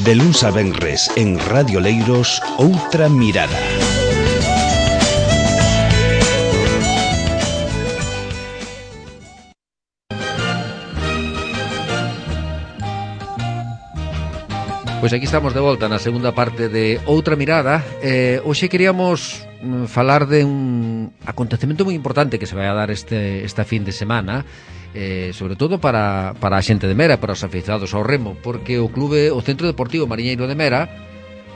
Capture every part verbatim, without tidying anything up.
De luns a venres en Radio Leiros, Outra Mirada. Pois aquí estamos de volta na segunda parte de Outra Mirada. eh, Hoxe queríamos mm, falar de un acontecemento moi importante que se vai a dar este, esta fin de semana, eh, sobre todo para, para a xente de Mera, para os aficionados ao remo, porque o clube, o Centro Deportivo Mariñeiro de Mera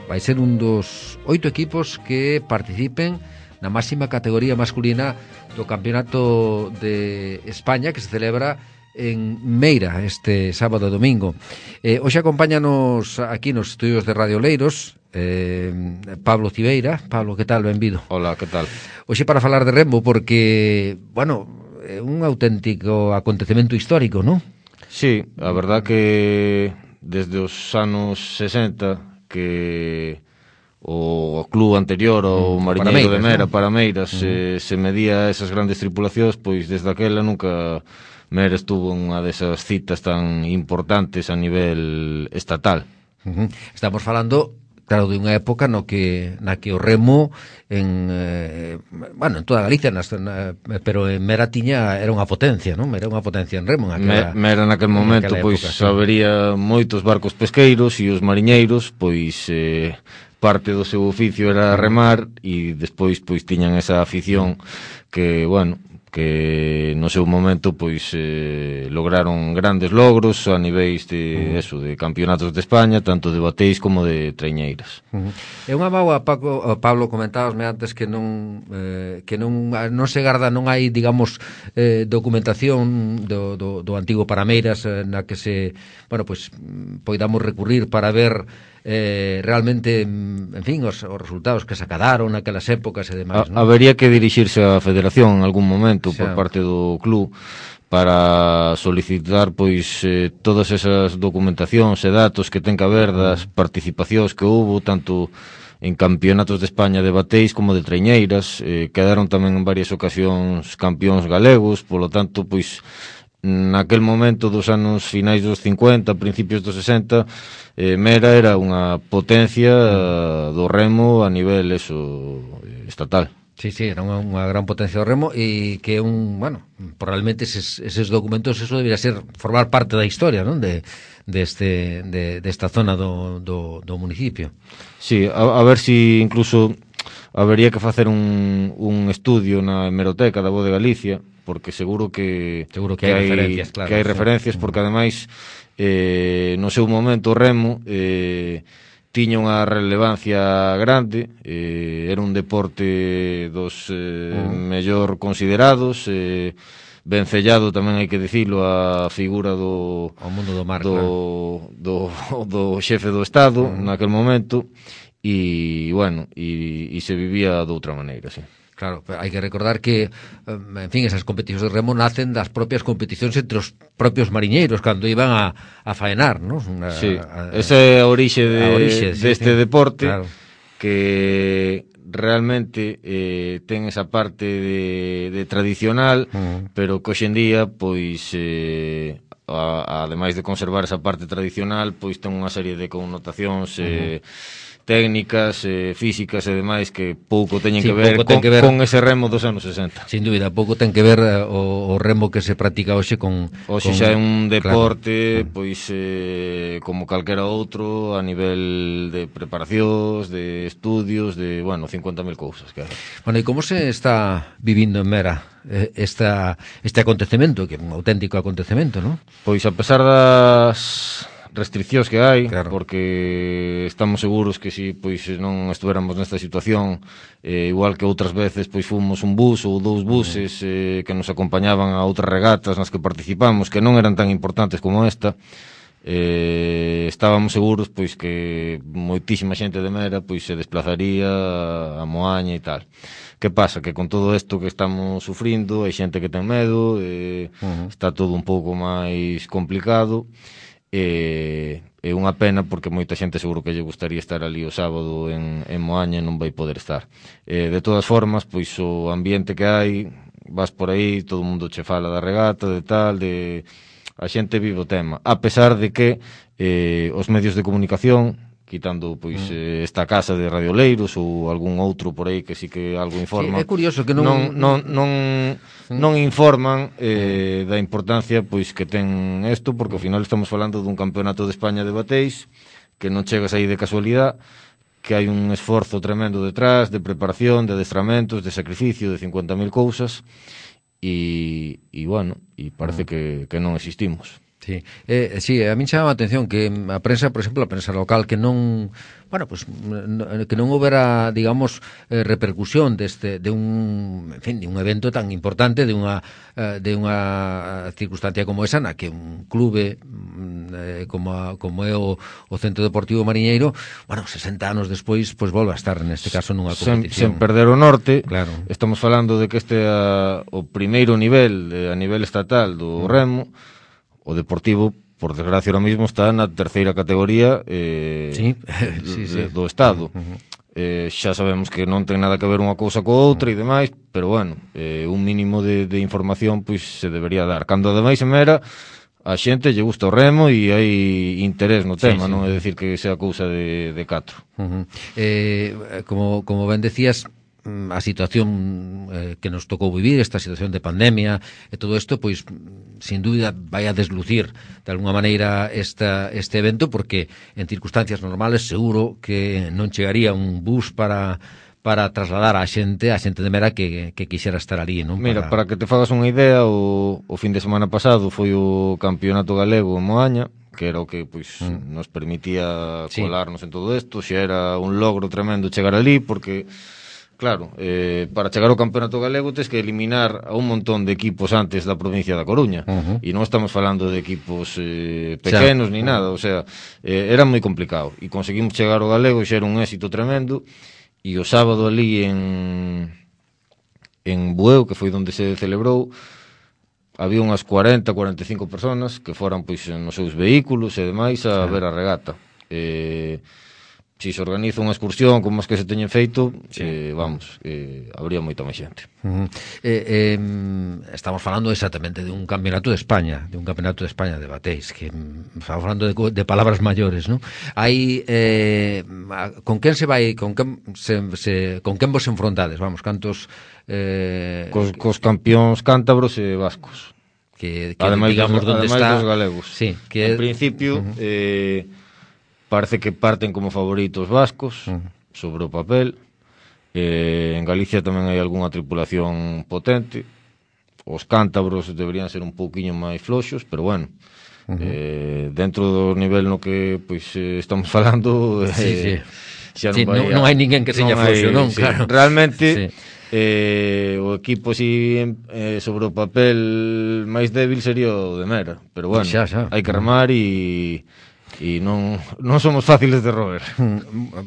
vai ser un dos oito equipos que participen na máxima categoría masculina do Campeonato de España, que se celebra en Meira este sábado e domingo. eh, Hoxe acompáñanos aquí nos estudios de Radio Leiros eh, Pablo Cibeira. Pablo, que tal? Benvido. Hola, que tal? Hoxe para falar de remo, porque, bueno, é un auténtico acontecemento histórico, non? Sí, a verdad que desde os anos sesenta que o club anterior, o mm, Mariñeiro de Mera, ¿no? Parameiras, mm. eh, se medía esas grandes tripulacións, pois desde aquela nunca Mera estuvo unha desas citas tan importantes a nivel estatal. Uh-huh. Estamos falando, claro, de unha época no que na que o remo en eh, bueno, en toda Galicia, nas, na, pero en Mera tiña era unha potencia, non? Era unha potencia en remo en aquela, Me, Mera naquel momento, pois sí. Habería moitos barcos pesqueiros e os mariñeiros, pois eh, parte do seu oficio era remar, e despois pois tiñan esa afición que, bueno, que no seu momento pois eh, lograron grandes logros a niveis de, uh-huh. eso, de campeonatos de España, tanto de bateis como de traiñeiras. Uh-huh. É unha mágoa, Paco, Pablo, comentábasme antes que non eh, que non non se garda, non hai, digamos, eh, documentación do, do, do antigo Parameiras eh, na que se, bueno, pois poidamos recurrir para ver eh, realmente, en fin, os, os resultados que se acadaron naquelas épocas e demais, non? Habería que dirixirse á Federación en algún momento, xa, por parte do club, para solicitar pois eh, todas esas documentacións e datos que ten que haber das participacións que houbo tanto en campeonatos de España de bateis como de traiñeiras. Eh, quedaron tamén en varias ocasións campións galegos, polo tanto, pois naquel momento dos anos finais dos cincuenta, principios dos sesenta, eh, Mera era unha potencia uh, do remo a nivel eso, estatal. Sí, sí, era unha, unha gran potencia do remo, e que un, bueno, probablemente eses, eses documentos, eso debería ser formar parte da historia, non? De, de este, de, de esta zona do, do, do municipio. Sí, a, a ver si incluso habería que facer un, un estudio na hemeroteca da Voz de Galicia, porque seguro que seguro que, que hai referencias, claro, que hai referencias, porque ademais eh, no seu momento o remo eh, tiña unha relevancia grande, eh, era un deporte dos eh, uh. mellor considerados, eh, vencellado tamén hai que dicilo a figura do o mundo do mar, do, claro. do, do xefe do Estado uh. naquel momento, e bueno, e, e se vivía de outra maneira, sí. Claro, hai que recordar que, en fin, esas competicións de remo nacen das propias competicións entre os propios mariñeiros cando iban a, a faenar, non? Sí, a, a, esa é a orixe, de, a orixe sí, deste sí, deporte, claro, que realmente eh, ten esa parte de, de tradicional, uh-huh. pero que hoxendía, pois, eh, a, ademais de conservar esa parte tradicional, pois ten unha serie de connotacións eh, uh-huh. técnicas, eh, físicas e demais que pouco teñen sí, que, ver con, que ver con ese remo dos anos sesenta. Sin dúbida, pouco ten que ver uh, o, o remo que se practica hoxe con... Hoxe xa é un deporte, claro, pois, eh, como calquera outro, a nivel de preparacións, de estudios, de, bueno, cincuenta mil cousas, claro. Bueno, e como se está vivindo en Mera eh, esta, este acontecemento, que é un auténtico acontecemento, non? Pois, a pesar das restriccións que hai, claro, porque estamos seguros que si pois non estuéramos nesta situación, eh, igual que outras veces pois fomos un bus ou dous buses eh, que nos acompañaban a outras regatas nas que participamos, que non eran tan importantes como esta, eh, estábamos seguros pois que moitísima xente de Mera pois se desplazaría a Moaña e tal. Que pasa? Que con todo isto que estamos sufrindo, hai xente que ten medo, eh, uh-huh. está todo un pouco máis complicado. É, é unha pena porque moita xente seguro que lle gustaría estar ali o sábado en, en Moaña e non vai poder estar. Eh, de todas formas, pois o ambiente que hai, vas por aí, todo o mundo che fala da regata, de tal, de a xente vive o tema, a pesar de que eh, os medios de comunicación, quitando pois mm. eh, esta casa de radioleiros ou algún outro por aí que sí que algo informa. Sí, é curioso que non non non non, mm. non informan eh, da importancia pois que ten isto, porque ao final estamos falando dun campeonato de España de bateis que non chegas aí de casualidade, que hai un esforzo tremendo detrás de preparación, de adestramentos, de sacrificio, de cincuenta mil cousas e e bueno, e parece mm. que que non existimos. Sí, eh, sí, a min chama a atención que a prensa, por exemplo, a prensa local que non, bueno, pues que non houbera, digamos, eh, repercusión deste de un, en fin, de un evento tan importante, de unha eh, de unha circunstancia como esa na que un clube eh, como a, como é o, o Centro Deportivo Mariñeiro, bueno, sesenta anos despois, pois volve a estar neste caso nunha competición. Sen, sen perder o norte. Claro. Estamos falando de que este é a, o primeiro nivel eh, a nivel estatal do remo. O Deportivo, por desgracia, ahora mismo está na terceira categoría eh, sí. sí, sí. do Estado. Uh-huh. eh, xa sabemos que non ten nada que ver unha cousa co outra e demais, pero bueno, eh, un mínimo de, de información pois se debería dar. Cando ademais en Mera a xente lle gusta o remo e hai interés no tema, sí, sí. Non é dicir que sea cousa de, de catro. Uh-huh. eh, como, como ben decías, a situación eh, que nos tocou vivir, esta situación de pandemia e todo isto, pois sin dúbida vai a deslucir de alguna maneira esta, este evento, porque en circunstancias normales seguro que non chegaría un bus para para trasladar a xente, a xente de Mera que, que quixera estar ali, non? Mira, para... para que te fagas unha idea, o, o fin de semana pasado foi o campeonato galego en Moaña, que era o que pois mm. nos permitía colarnos sí. en todo isto, xa era un logro tremendo chegar ali, porque claro, eh, para chegar ao campeonato galego tens que eliminar a un montón de equipos antes da provincia da Coruña, uh-huh. e non estamos falando de equipos eh, pequenos xa. Ni nada, o sea, eh, era moi complicado, e conseguimos chegar ao galego e xa era un éxito tremendo, e o sábado ali en en Bueu, que foi onde se celebrou, había unhas cuarenta, cuarenta e cinco personas que foran pois nos seus vehículos e demais a ver a regata. Eh, si se organiza unha excursión como as que se teñen feito, sí. eh, vamos, eh, habría moita máis xente. Uh-huh. eh, eh, estamos falando exactamente de un campeonato de España, de un campeonato de España de bateis, que estamos falando de, de palabras maiores, ¿no? Hai, eh, con quen se vai, con quen, se, se, con quen vos enfrontades, vamos, cantos... Eh, cos, cos campións cántabros e vascos. Que, que ademais, digamos, dos, donde ademais está... dos galegos. Sí, que... En principio... Uh-huh. eh, parece que parten como favoritos vascos, uh-huh. sobre o papel. Eh, en Galicia tamén hai algunha tripulación potente. Os cántabros deberían ser un pouquiño máis floxos, pero bueno, uh-huh. eh, dentro do nivel no que pois eh, estamos falando, eh, sí, sí. xa non, sí, vai, non, non hai ninguén que seña floxo, non? Sí, Claro. realmente... Sí. Eh, o equipo si eh, sobre o papel máis débil sería o de Mera, pero bueno, xa, xa. hai que remar e e non, non somos fáciles de roer.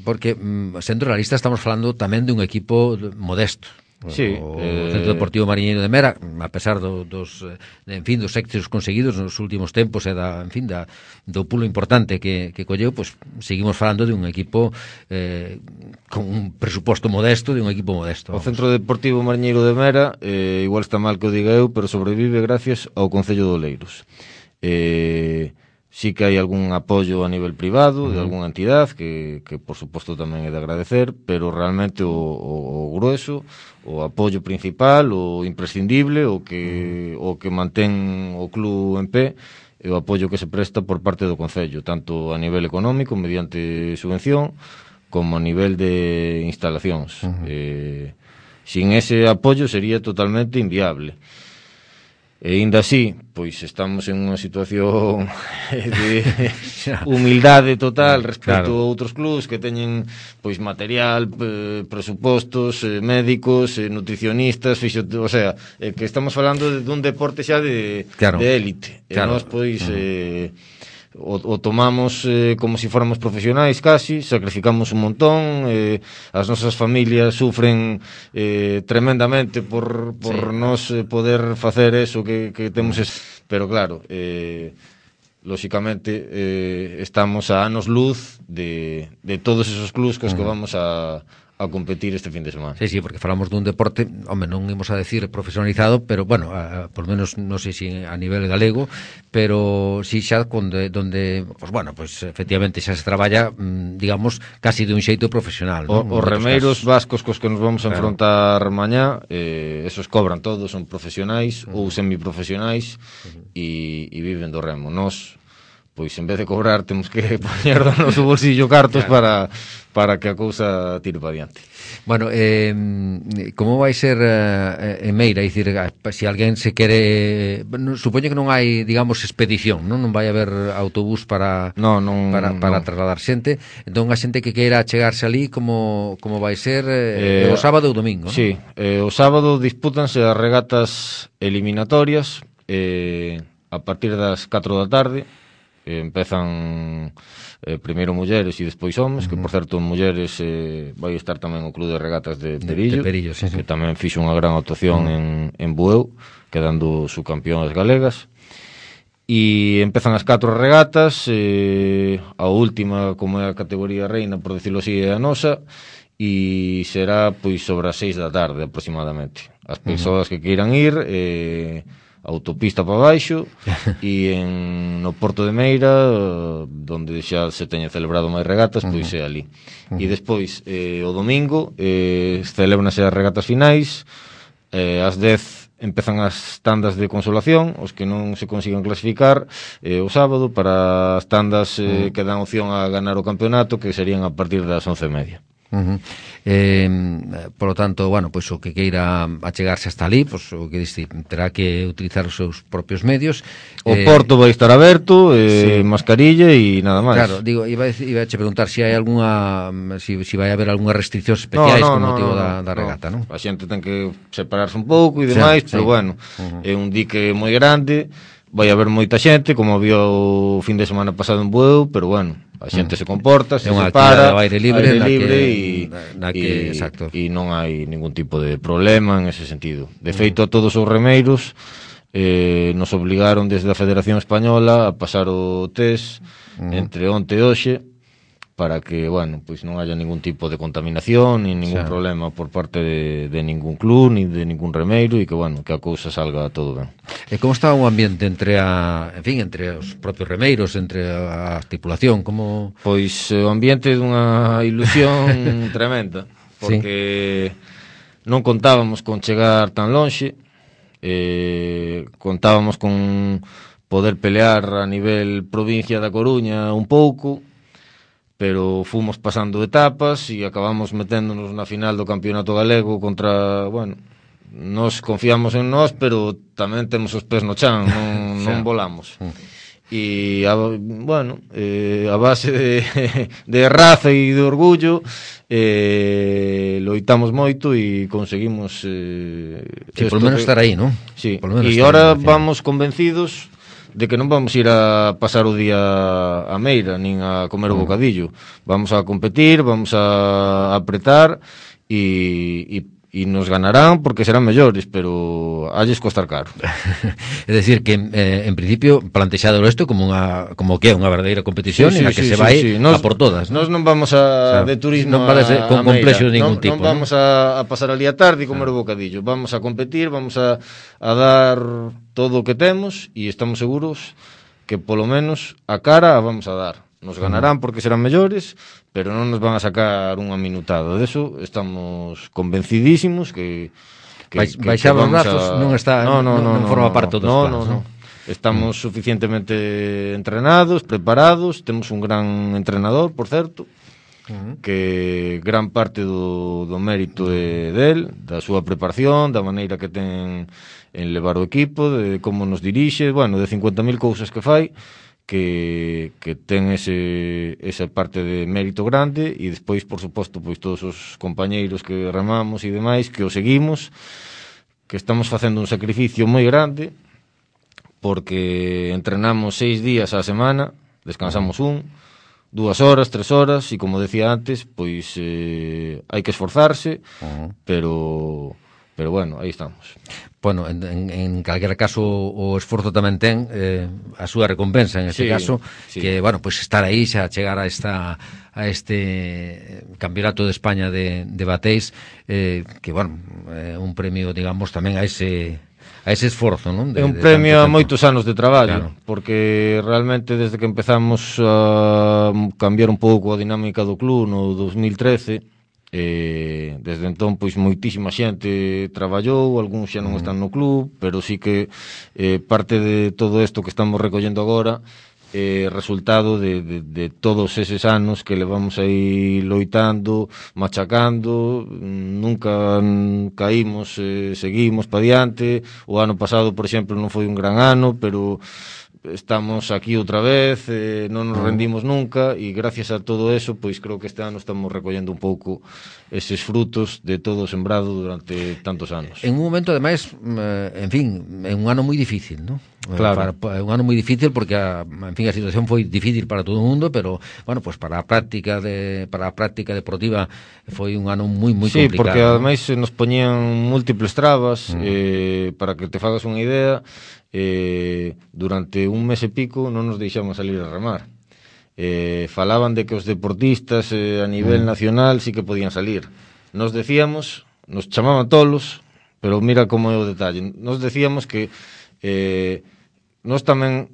Porque, sendo realistas, estamos falando tamén de un equipo modesto. Sí, o eh... Centro Deportivo Mariñeiro de Mera, a pesar do, dos, en fin, dos éxitos conseguidos nos últimos tempos e da, en fin, da, do pulo importante que, que colleu, pues, seguimos falando de un equipo eh, con un presuposto modesto, de un equipo modesto. Vamos. O Centro Deportivo Mariñeiro de Mera, eh, igual está mal que o diga eu, pero sobrevive gracias ao Concello de Oleiros. Eh... Sí que hai algún apoio a nivel privado, de algunha entidade, que, que por suposto tamén é de agradecer, pero realmente o, o, o grueso, o apoio principal, o imprescindible, o que, o que mantén o club en pé, é o apoio que se presta por parte do Concello, tanto a nivel económico, mediante subvención, como a nivel de instalacións. Uh-huh. Eh, sin ese apoio sería totalmente inviable. E ainda así, pois estamos en unha situación de humildade total respecto claro. a outros clubs que teñen pois material, eh, presupostos, eh, médicos, eh, nutricionistas, fisio... o sea, eh, que estamos falando de, dun deporte xa de claro. de élite. Claro. E nós pois uh-huh. eh, o, o tomamos eh, como se si fóramos profesionais casi, sacrificamos un montón, eh, as nosas familias sufren eh, tremendamente por, por sí. nos eh, poder facer eso que, que temos, es... pero claro, eh, lóxicamente eh, estamos a anos luz de, de todos esos clubs cos que vamos a, a competir este fin de semana. Sí, sí, porque falamos dun deporte, home, non imos a decir profesionalizado, pero, bueno, a, a, por menos, non sei se a nivel galego, pero si xa onde, donde, pues, bueno, pues, efectivamente xa se traballa, digamos, casi de un xeito profesional, o, non? Os remeiros vascos cos que nos vamos a claro. enfrontar mañá, eh, esos cobran todos, son profesionais uh -huh. ou semiprofesionais e, e viven do remo. Nos, pois, en vez de cobrar, temos que poñer do noso bolsillo cartos claro. para, para que a cousa tire para diante. Bueno, eh, como vai ser eh, en Meira? É dicir, se alguén se quere... Supoño que non hai, digamos, expedición, non? Non vai haber autobús para no, non, para, para non. trasladar xente. Entón, a xente que queira chegarse ali, como, como vai ser eh, eh, o sábado ou domingo, non? Sí, eh, o sábado dispútanse as regatas eliminatorias eh, a partir das catro da tarde. Eh, empezan eh, primeiro mulleres e despois homes, uh -huh. que por certo mulleres eh, vai estar tamén o Club de Regatas de Perillo, de, de Perillo sí, sí. que tamén fixo unha gran actuación uh -huh. en, en Bueu, quedando subcampeóns galegas. E empezan as catro regatas, eh, a última, como é a categoría reina, por decirlo así, é a nosa, e será pois sobre as seis da tarde aproximadamente. As persoas uh -huh. que queiran ir... Eh, autopista para baixo e en no Porto de Meira, donde xa se teñen celebrado máis regatas, pois é ali. Uh -huh. E despois, eh, o domingo, eh, celebranse as regatas finais, eh, ás dez empezan as tandas de consolación, os que non se consigan clasificar, eh, o sábado, para as tandas eh, uh -huh. que dan opción a ganar o campeonato, que serían a partir das once e media. Uh -huh. eh, por lo tanto, bueno, pois pues, o que queira achegarse hasta ali, pois pues, o que diste, terá que utilizar os seus propios medios. O eh, porto vai estar aberto, eh, sí. mascarilla e nada máis. Claro, digo, iba a, iba a che preguntar se si hai algunha si, si vai haber algunhas restriccións especiais no, no, con no, motivo no, da, da regata, no. non? A xente ten que separarse un pouco e demais, sí, pero sí. bueno, uh -huh. é un dique moi grande, vai haber moita xente, como había o fin de semana pasado en Bueu, pero bueno, a xente mm. se comporta, se separa, ao aire libre, aire libre que, e, na que, exacto. e non hai ningún tipo de problema en ese sentido. De feito, a todos os remeiros eh, nos obligaron desde a Federación Española a pasar o test mm. entre onte e hoxe, para que, bueno, pois non haya ningún tipo de contaminación ni ningún xa. problema por parte de, de ningún club ni de ningún remeiro e que, bueno, que a cousa salga todo ben. E como está o ambiente entre a, en fin, entre os propios remeiros, entre a tripulación, como... Pois o ambiente é dunha ilusión tremenda, porque sí. non contábamos con chegar tan lonxe, eh, contábamos con poder pelear a nivel provincia da Coruña un pouco, pero fomos pasando etapas e acabamos meténdonos na final do campeonato galego contra, bueno, nos confiamos en nós, pero tamén temos os pés no chan, non, non volamos. E, a, bueno, eh, a base de, de raza e de orgullo, eh, loitamos moito e conseguimos... Eh, sí, por lo menos que... estar aí, non? Sí, e ahora vamos convencidos de que non vamos ir a pasar o día a Meira, nin a comer o bocadillo. Vamos a competir, vamos a apretar e, e, e nos ganarán porque serán mellores, pero halles costar caro. É dicir, que eh, en principio plantexado isto como unha como que é unha verdadeira competición sí, sí, en a que sí, se vai sí, sí. Nos, a por todas. Nós non vamos a, o sea, de turismo non vale ser con complexo de ningún non, tipo. Non vamos ¿no? a, a pasar ali a tarde e comer o bocadillo. Vamos a competir, vamos a, a dar todo o que temos e estamos seguros que polo menos a cara a vamos a dar. Nos ganarán porque serán mellores, pero non nos van a sacar unha minutada. De eso estamos convencidísimos que que, Vai, que, baixar os brazos a... non está no, no, non, non no, forma no, parte dos no, planos, no, no. Estamos mm. suficientemente entrenados, preparados, temos un gran entrenador, por certo, mm. que gran parte do, do mérito é del, da súa preparación, da maneira que ten en levar o equipo, de como nos dirixe, bueno, de cincuenta mil cousas que fai, que, que ten ese, esa parte de mérito grande e despois, por suposto, pois todos os compañeiros que remamos e demais, que o seguimos, que estamos facendo un sacrificio moi grande, porque entrenamos seis días á semana, descansamos un, dúas horas, tres horas, e como decía antes, pois eh, hai que esforzarse, uh -huh. pero pero bueno, aí estamos. Bueno, en, en, en calquera caso o esforzo tamén ten eh, a súa recompensa en este sí, caso, sí. que, bueno, pues estar aí xa chegar a esta a este Campeonato de España de, de bateis, eh, que, bueno, é eh, un premio, digamos, tamén a ese a ese esforzo, non? De, é un de premio a tanto moitos anos de traballo, claro. Porque realmente desde que empezamos a cambiar un pouco a dinámica do club no dos mil trece, Eh, desde entón pois moitísima xente traballou, algúns xa non están no club, pero sí que eh, parte de todo isto que estamos recollendo agora é eh, resultado de, de, de todos eses anos que levamos aí loitando, machacando, nunca caímos, eh, seguimos pa diante. O ano pasado, por exemplo, non foi un gran ano, pero estamos aquí outra vez, eh, non nos rendimos nunca, e gracias a todo eso, pois creo que este ano estamos recollendo un pouco eses frutos de todo sembrado durante tantos anos. En un momento, ademais, en fin, é un ano moi difícil, non? Claro. Para, é un ano moi difícil porque a, en fin, a situación foi difícil para todo o mundo, pero bueno, pues para a práctica de para a práctica deportiva foi un ano moi moi sí, complicado. Sí, porque ademais nos poñían múltiples trabas, mm. eh, para que te fagas unha idea. Eh, durante un mes e pico non nos deixamos salir a remar. Eh, falaban de que os deportistas eh, a nivel mm. nacional sí que podían salir. Nos decíamos, nos chamaban tolos, pero mira como é o detalle. Nos decíamos que eh, nos tamén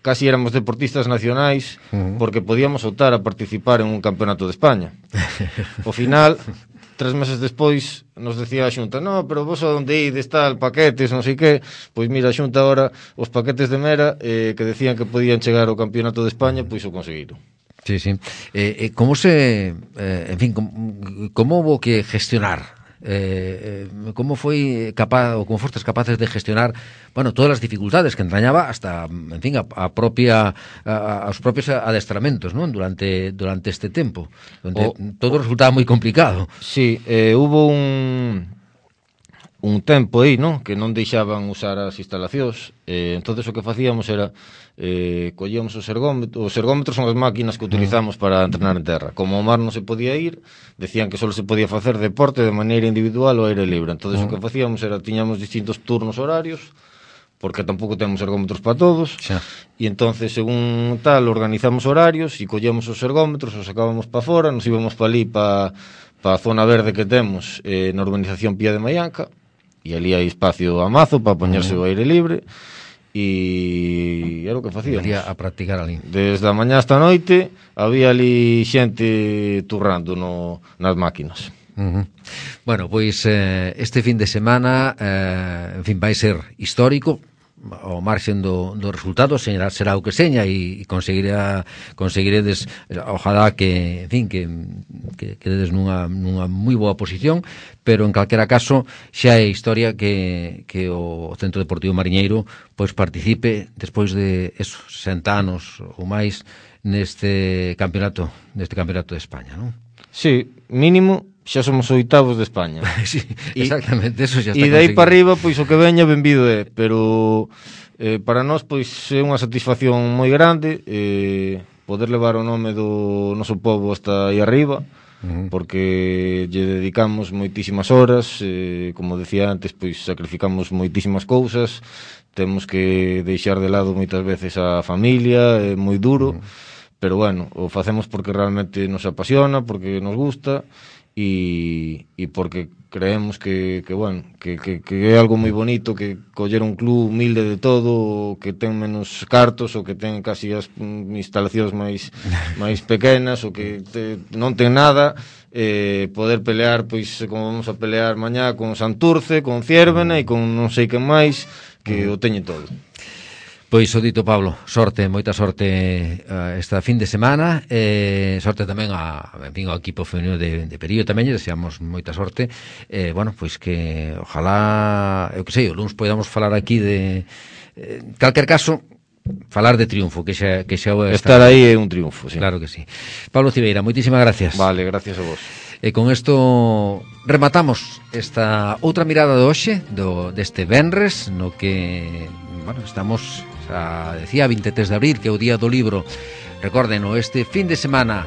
casi éramos deportistas nacionais mm. porque podíamos optar a participar en un campeonato de España. Ao final, tres meses despois nos decía a Xunta, no, pero vos a onde ides tal, paquetes, non sei que, pois mira, a Xunta agora os paquetes de Mera eh, que decían que podían chegar ao campeonato de España, pois o conseguiron. Sí, sí. Eh, eh, como se, eh, en fin, como, como hubo que gestionar? Eh, eh, como foi capaz ou como fostes capaces de gestionar, bueno, todas as dificultades que entrañaba hasta, en fin, a, a propia a, aos propios adestramentos, non? Durante durante este tempo, onde o, todo resultaba moi complicado. Sí, eh, hubo un un tempo aí, non? Que non deixaban usar as instalacións, eh, entonces o que facíamos era eh, collíamos os ergómetros. Os ergómetros son as máquinas que utilizamos para entrenar en terra. Como o mar non se podía ir, decían que só se podía facer deporte de maneira individual ou aire libre. Entonces uh-huh. o que facíamos era, tiñamos distintos turnos horarios, porque tampouco temos ergómetros para todos, xa. E entonces, según tal, organizamos horarios e collíamos os ergómetros, os sacábamos para fora, nos íbamos para ali, para pa a zona verde que temos eh, na urbanización Pía de Maianca, e ali hai espacio a mazo para poñerse uh-huh. o aire libre, e era o que facíamos. Iría a practicar ali. Desde a mañá hasta a noite había ali xente turrando no, nas máquinas. Uh-huh. Bueno, pois eh, este fin de semana eh, en fin, vai ser histórico ao marxen do, do resultado, será, será o que seña e, e conseguirá conseguiredes, ojalá que, en fin, que, que quededes nunha, nunha moi boa posición, pero en calquera caso xa é historia que, que o Centro Deportivo Mariñeiro pois participe despois de esos sesenta anos ou máis neste campeonato, neste campeonato de España, non? Sí, mínimo xa somos oitavos de España. Sí, exactamente, eso xa está conseguido. E dai para arriba, pois o que veña benvido é, pero eh, para nós pois é unha satisfacción moi grande eh, poder levar o nome do noso povo hasta aí arriba, uh-huh. porque lle dedicamos moitísimas horas, eh, como decía antes, pois sacrificamos moitísimas cousas, temos que deixar de lado moitas veces a familia, é moi duro, uh-huh. pero bueno, o facemos porque realmente nos apasiona, porque nos gusta, e, e porque creemos que, que bueno, que, que, que é algo moi bonito, que coller un club humilde de todo, que ten menos cartos, ou que ten casi as instalacións máis máis pequenas, ou que te, non ten nada, eh, poder pelear, pois, como vamos a pelear mañá con Santurce, con Ciérvena e con non sei quen máis, que o teñen todo. Pois o dito, Pablo, sorte, moita sorte uh, esta fin de semana, eh, sorte tamén a, en fin, ao equipo femenino de, de Perío tamén, deseamos moita sorte, eh, bueno, pois que ojalá, eu que sei, o luns podamos falar aquí de, eh, calquer caso, falar de triunfo, que xa, que xa estar aí é un triunfo, sí. Claro que sí. Pablo Cibeira, moitísimas gracias. Vale, gracias a vos. E con isto rematamos esta outra mirada de hoxe, do, deste venres, no que, bueno, estamos, xa decía, vinte e tres de abril, que é o día do libro. Recorden, este fin de semana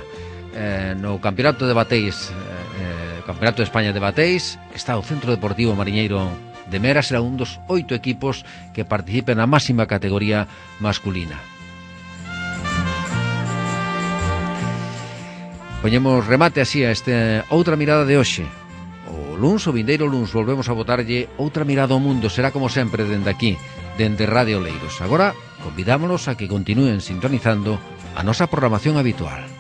eh, no Campeonato de Bateis eh, Campeonato de España de Bateis, está o Centro Deportivo Mariñeiro de Mera, será un dos oito equipos que participen na máxima categoría masculina. Poñemos remate así a este Outra Mirada de hoxe. O luns, o vindeiro luns, volvemos a botarlle outra mirada ao mundo. Será como sempre dende aquí, dende Radio Oleiros. Agora, convidámonos a que continúen sintonizando a nosa programación habitual.